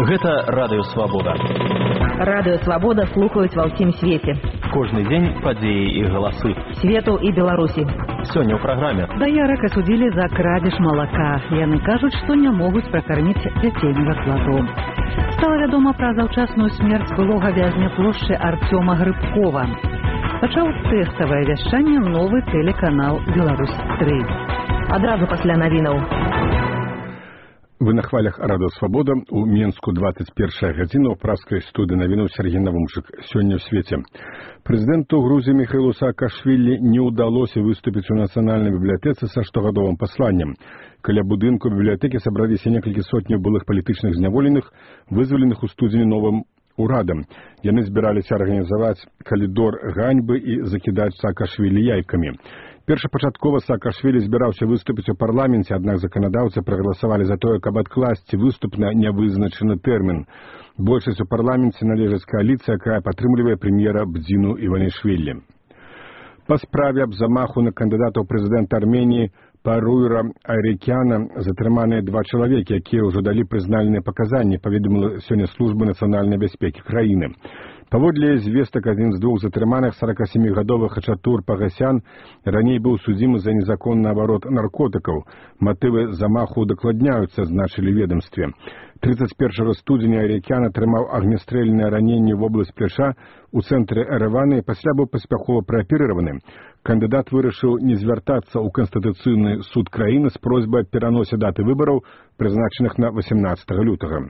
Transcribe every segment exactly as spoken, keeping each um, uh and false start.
Гэта Радыё Свабода. Радыё Свабода слухаюць ва ўсім свеце. Кожны дзень падзеі і галасы. Свету і Беларусі. Сёння ў праграме. Даярак асудзілі за крадзеж малака. Яны кажуць, што не могуць пракарміць дзяцей на складу. Стала вядома пра заўчасную смерць былога вязня плошчы Артёма Грыбкова. Пачаў тэставае вяшчанне новы тэлеканал «Беларусь тры». Адразу пасля навінаў. Вы на хвалях Радыё Свабода. У Менску двадцать первая гадзіна ў праскай студыі навінаў Сергей Навумчык. Сёння ў свеце. Прэзідэнту Грузіі Міхаілу Саакашвілі не ўдалося выступіць у нацыянальнай бібліятэцы са штогадовым пасланнем. Каля будынку бібліятэкі сабраліся некалькі сотняў былых палітычных зняволеных, вызваленых у студзені новым урадам. Яны збіраліся арганізаваць калідор ганьбы і закідаць Саакашвілі яйкамі. Першапачаткова Саакашвілі збіраўся выступіць у парламенце, аднак заканадаўцы прагаласавалі за тое, каб адкласці выступ на нявызначаны тэрмін. Большасць у парламенце належыць кааліцыя, якая падтрымлівае прэм'ера Бдзіну Іванішвілі. Па справе аб замаху на кандыдата ў прэзідэнта Арменіі Паруйра Айрекяна затрыманыя два чалавекі, якія ўжо далі прызнальныя паказанні, паведаміла сёння служба нацыянальнай бяспекі краіны. Паводле звестак, адзін з двух затрыманых сорокасемігадовы Хачатур Пагасян раней быў судзімы за незаконны абарот наркотыкаў. Матывы замаху удакладняюцца, значылі ведомстве. тридцать первого студзеня Айрекян атрымаў агнястрэльнае раненне в область пляча у цэнтры Эрэвана і пасля быў паспяхова прааперыраваны. Кандыдат вырашыў не звяртацца ў Канстытуцыйны суд краіны з просьбай аб пераносе даты выбараў, прызначаных на восемнадцатага лютага.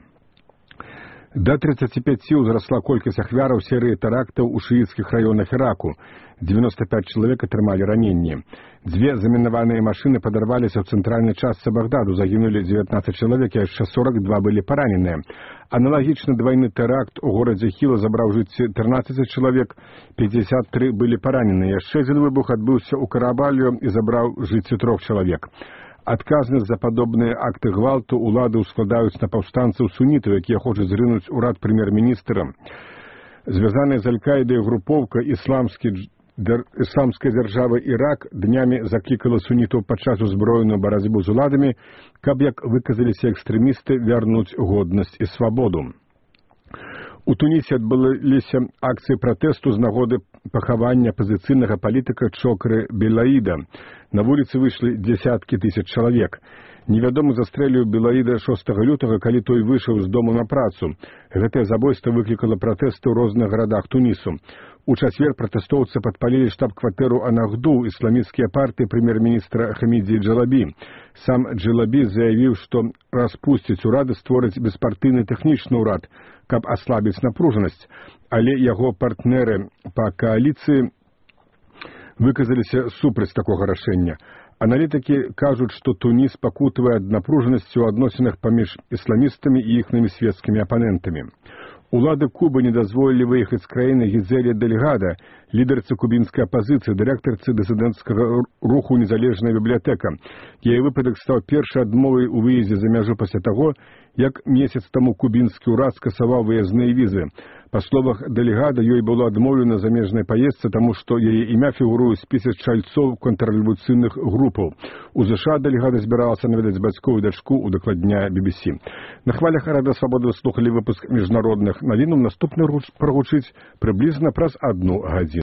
До тридцати пяти ўзрасла колькасць ахвяраў серыі тэрактаў у шыіцкіх раёнах Іраку. девяносто пять чалавек атрымалі раненні. Дзве замінаваныя машыны падарваліся ў цэнтральнай частцы Багдаду, загінулі девятнадцать чалавек, а яшчэ сорок два былі параненыя. Аналагічны двайны тэракт у горадзе Хіла забраў жыцці тринадцать чалавек, пятьдесят три былі параненыя. Яшчэ адзін выбух адбыўся ў Карабалію і забраў жыцці трох чалавек. Адказнасць за падобныя акты гвалту улады ўскладаюць на паўстанцаў сунітаў, якія хочуць зрынуць урад прэм'ер-міністра. Звязаная з Аль-Каідай групоўка ісламскай дзяржавы Ірак днямі заклікала сунітаў падчас узброеную барацьбу з уладамі, каб, як выказаліся экстрэмісты, вярнуць годнасць і свабоду. У Тунісе адбыліся акцыі пратэсту з нагоды пахавання апазіцыйнага палітыка Чокры Белаіда. На вуліцы выйшлі дзесяткі тысяч чалавек. Невядомы застрэліў Белаіда шостага лютага, калі той выйшаў з дому на працу. Гэтае забойства выклікала пратэсты ў розных гарадах Тунісу. У чацвер пратэстоўцы падпалілі штаб-кватэру Анахду ісламісцкія партыі прэм'ер-міністра Хамідзі Джалабі. Сам Джалабі заявіў, што распусціць урады, створыць беспартыйны тэхнічны ўрад, каб аслабіць напружанасць, але яго партнеры па кааліцыі выказаліся супраць такога рашэння. Аналітыкі кажуць, што Туніс пакутавае ад напружанасці ў адносінах паміж ісламістамі і іхнымі свецкімі апанентамі. Улады Кубы не дазволілі выехаць з краіны Гідзелі Дельгада, лідарцы кубінскай апазіцыі, дырэктарцы дысідэнцкага руху «Незалежная бібліятэка». Яе выпадак стаў першай адмовай у выездзе за мяжу пасля таго, як месяц таму кубінскі ўрад скасаваў выязныя візы. Па словах Дельгада, ёй было адмоўлена замежнай паездцы, таму што яе імя фігуруе ў спісе чальцоў контррэвалюцыйных групаў. У ЗША Дельгада збіралася наведаць бацькоў і дачку, удакладняе би би сі. На хвалях Радыё Свабода слухалі выпуск міжнародных навінаў. Наступны прагучыць прыблізна праз адну гадзіну.